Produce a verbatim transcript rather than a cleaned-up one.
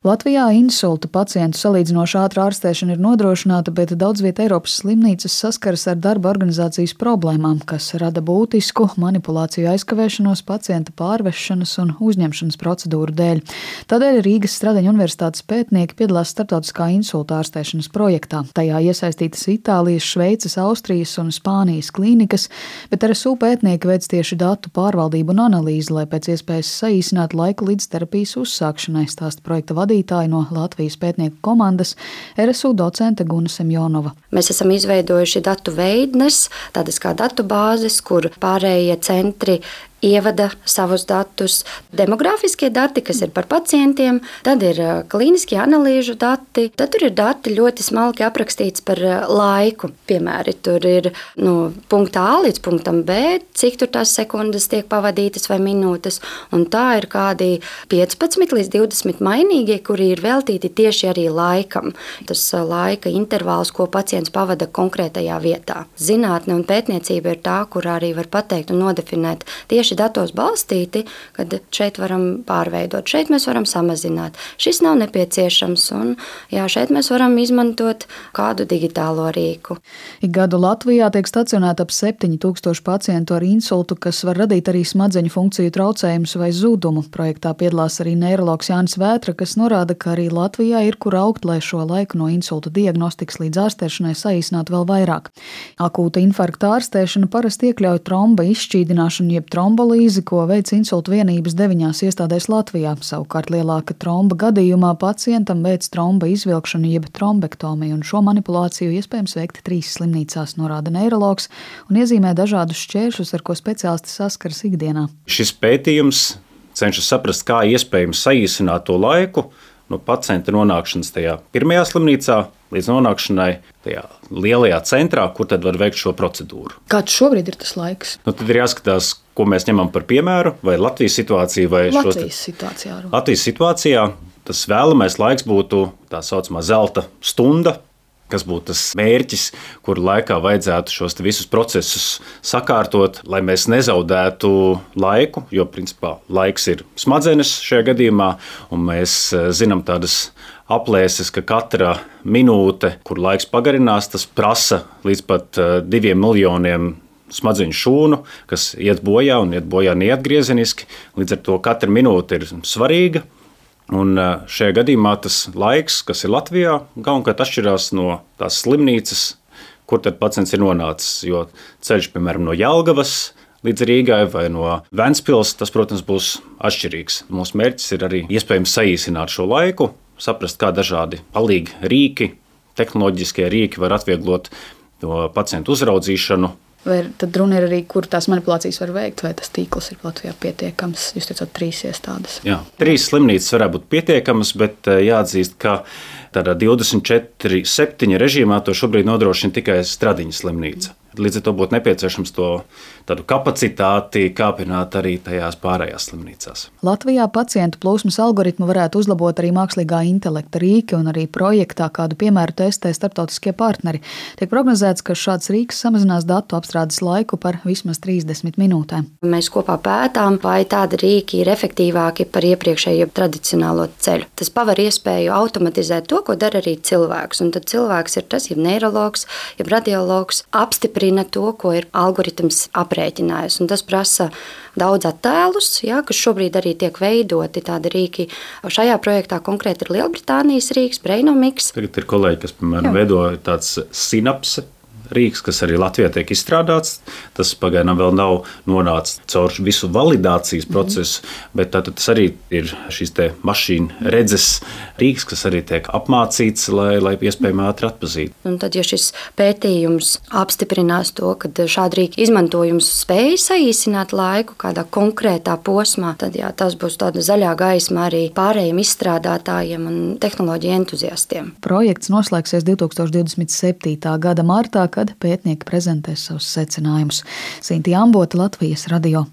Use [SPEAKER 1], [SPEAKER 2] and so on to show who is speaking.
[SPEAKER 1] Latvijā insulta pacientu salīdzinoši ātra ārstēšana ir nodrošināta, bet daudz viet Eiropas slimnīcas saskaras ar darba organizācijas problēmām, kas rada būtisku manipulāciju aizkavēšanos pacienta pārvešanas un uzņemšanas procedūru dēļ. Tādēļ Rīgas Stradiņu universitātes pētnieki piedalās starptautiskā insulta ārstēšanas projektā. Tajā iesaistītas Itālijas, Šveices, Austrijas un Spānijas klīnikas, bet R S U pētnieki veic tieši datu pārvaldību un analīzi, lai pēc iespējas saīsinātu laiku līdz terapijas uzsākšanai, stāsta projekta vadītāja no Latvijas pētnieku komandas R S U docente Guna Semjonova.
[SPEAKER 2] Mēs esam izveidojuši datu veidnes, tādas kā datubāzes, kur pārējie centri ievada savus datus, demogrāfiskie dati, kas ir par pacientiem, tad ir klīniskie analīžu dati, tad tur ir dati ļoti smalki aprakstīts par laiku. Piemēri, tur ir no punkta A līdz punktam B, cik tur tās sekundes tiek pavadītas vai minūtes, un tā ir kādi piecpadsmit līdz divdesmit mainīgie, kuri ir veltīti tieši arī laikam. Tas laika intervāls, ko pacients pavada konkrētajā vietā. Zinātne un pētniecība ir tā, kur arī var pateikt un nodefinēt tieši datos balstīti, kad šeit varam pārveidot, šeit mēs varam samazināt. Šis nav nepieciešams, un jā, šeit mēs varam izmantot kādu digitālo rīku.
[SPEAKER 1] Ik gadu Latvijā tiek stacionēta ap septiņi tūkstoši pacientu ar insultu, kas var radīt arī smadzeņu funkciju traucējumus vai zudumu. Projektā piedalās arī neirologs Jānis Vētra, kas norāda, ka arī Latvijā ir kur augt, lai šo laiku no insulta diagnostikas līdz ārstēšanai saīsinātu vēl vairāk. Akūta infarkta ārstēšana parasti iekļauj tromba izšķīdināšanu jeb tromba Trombolīzi, ko veic insulta vienības deviņās iestādēs Latvijā. Savukārt lielāka tromba gadījumā pacientam veic tromba izvilkšanu jeb trombektomiju, un šo manipulāciju iespējams veikt trīs slimnīcās, norāda neirologs un iezīmē dažādus šķēršļus, ar ko speciālisti saskaras ikdienā.
[SPEAKER 3] Šis pētījums cenšas saprast, kā iespējams saīsināt to laiku no pacienta nonākšanas tajā pirmajā slimnīcā līdz nonākšanai tajā lielajā centrā, kur tad var veikt šo procedūru.
[SPEAKER 1] Kāds šobrīd ir tas laiks?
[SPEAKER 3] Nu, tad ir jāskatās, ko mēs ņemam par piemēru, vai Latvijas situāciju, vai
[SPEAKER 1] Latvijas
[SPEAKER 3] šos...
[SPEAKER 1] situācijā.
[SPEAKER 3] Latvijas situācijā tas vēlamais laiks būtu tā saucamā zelta stunda, kas būtu tas mērķis, kur laikā vajadzētu šos visus procesus sakārtot, lai mēs nezaudētu laiku, jo principā laiks ir smadzenes šajā gadījumā, un mēs zinām tādas aplēses, ka katra minūte, kur laiks pagarinās, tas prasa līdz pat diviem miljoniem smadzeņu šūnu, kas iet bojā un iet bojā neatgriezeniski. Līdz ar to katra minūte ir svarīga. Un šajā gadījumā tas laiks, kas ir Latvijā, galvenokārt atšķirās no tās slimnīcas, kur tad pacients ir nonācis. Jo ceļš, piemēram, no Jelgavas līdz Rīgai vai no Ventspils, tas, protams, būs atšķirīgs. Mūsu mērķis ir arī iespējams saīsināt šo laiku, saprast, kā dažādi palīgi rīki, tehnoloģiskie rīki var atvieglot to pacientu uzraudzīšanu.
[SPEAKER 1] Vai tad runa ir arī, kur tās manipulācijas var veikt, vai tas tīkls ir Latvijā pietiekams? Jūs teicāt, trīs iestādes.
[SPEAKER 3] Jā, trīs slimnīcas varētu būt pietiekamas, bet jāatzīst, ka tādā divdesmit četri septiņi režīmā to šobrīd nodrošina tikai Stradiņu slimnīca. Līdz ar to būtu nepieciešams to tādu kapacitāti kāpināt arī tajās pārējās slimnīcās.
[SPEAKER 1] Latvijā pacientu plūsmas algoritmu varētu uzlabot arī mākslīgā intelekta rīki, un arī projektā kādu piemēru testē starptautiskie partneri. Tiek prognozēts, ka šāds rīks samazinās datu apstrādes laiku par vismaz trīsdesmit minūtēm.
[SPEAKER 2] Mēs kopā pētām, vai tādi rīki ir efektīvāki par iepriekšējo tradicionālo ceļu. Tas paver iespēju automatizēt to, ko dara arī cilvēks, un tad cilvēks ir tas, jeb neirologs, jeb radiologs, apstiprina to, ko ir algoritms aprēķinājis. Un tas prasa daudz attēlus, jā, kas šobrīd arī tiek veidoti tādi rīki. Šajā projektā konkrēti ir Lielbritānijas rīks, Brainomix.
[SPEAKER 3] Tagad ir kolēģi, kas, piemēram, veido tāds Synapse rīks, kas arī Latvijā tiek izstrādāts. Tas pagaidām vēl nav nonācis caur visu validācijas procesu, mm. bet tātad tas arī ir šīs te mašīna redzes rīks, kas arī tiek apmācīts, lai, lai iespējami ātri atpazītu.
[SPEAKER 2] Un tad, ja šis pētījums apstiprinās to, ka šāda rīka izmantojums spēj saīsināt laiku kādā konkrētā posmā, tad jā, tas būs tāda zaļā gaisma arī pārējiem izstrādātājiem un tehnoloģiju entuziastiem.
[SPEAKER 1] Projekts noslēgsies divtūkstoš divdesmit septītā gada martā, kad pētnieki prezentēs savus secinājumus. Sintī Ambota, Latvijas radio.